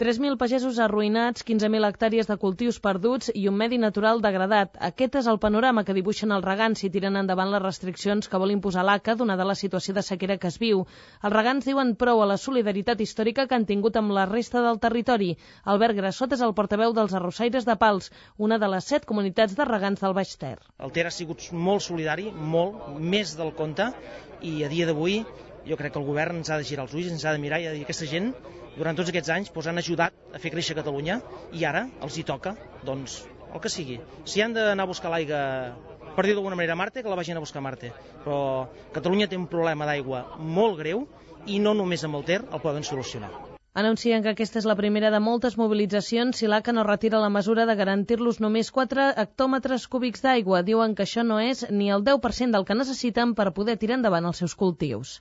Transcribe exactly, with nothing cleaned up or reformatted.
tres mil pagesos arruïnats, quinze mil hectàrees de cultius perduts i un medi natural degradat. Aquest és el panorama que dibuixen els regants si tiren endavant les restriccions que vol imposar l'A C A donada la situació de sequera que es viu. Els regants diuen prou a la solidaritat històrica que han tingut amb la resta del territori. Albert Grassot és el portaveu dels Arrossaires de Pals, una de les set comunitats de regants del Baix Ter. El Ter ha sigut molt solidari, molt, més del compte, i a dia d'avui jo crec que el govern ens ha de girar els ulls, ens ha de mirar i ha de dir aquesta gent durant tots aquests anys doncs, han ajudat a fer créixer Catalunya i ara els hi toca, doncs, el que sigui. Si han d'anar a buscar l'aigua, per dir d'alguna manera, a Marte, que la vagin a buscar a Marte. Però Catalunya té un problema d'aigua molt greu i no només amb el Ter el poden solucionar. Anuncien que aquesta és la primera de moltes mobilitzacions si l'A C A no retira la mesura de garantir-los només quatre hectòmetres cúbics d'aigua. Diuen que això no és ni el deu per cent del que necessiten per poder tirar endavant els seus cultius.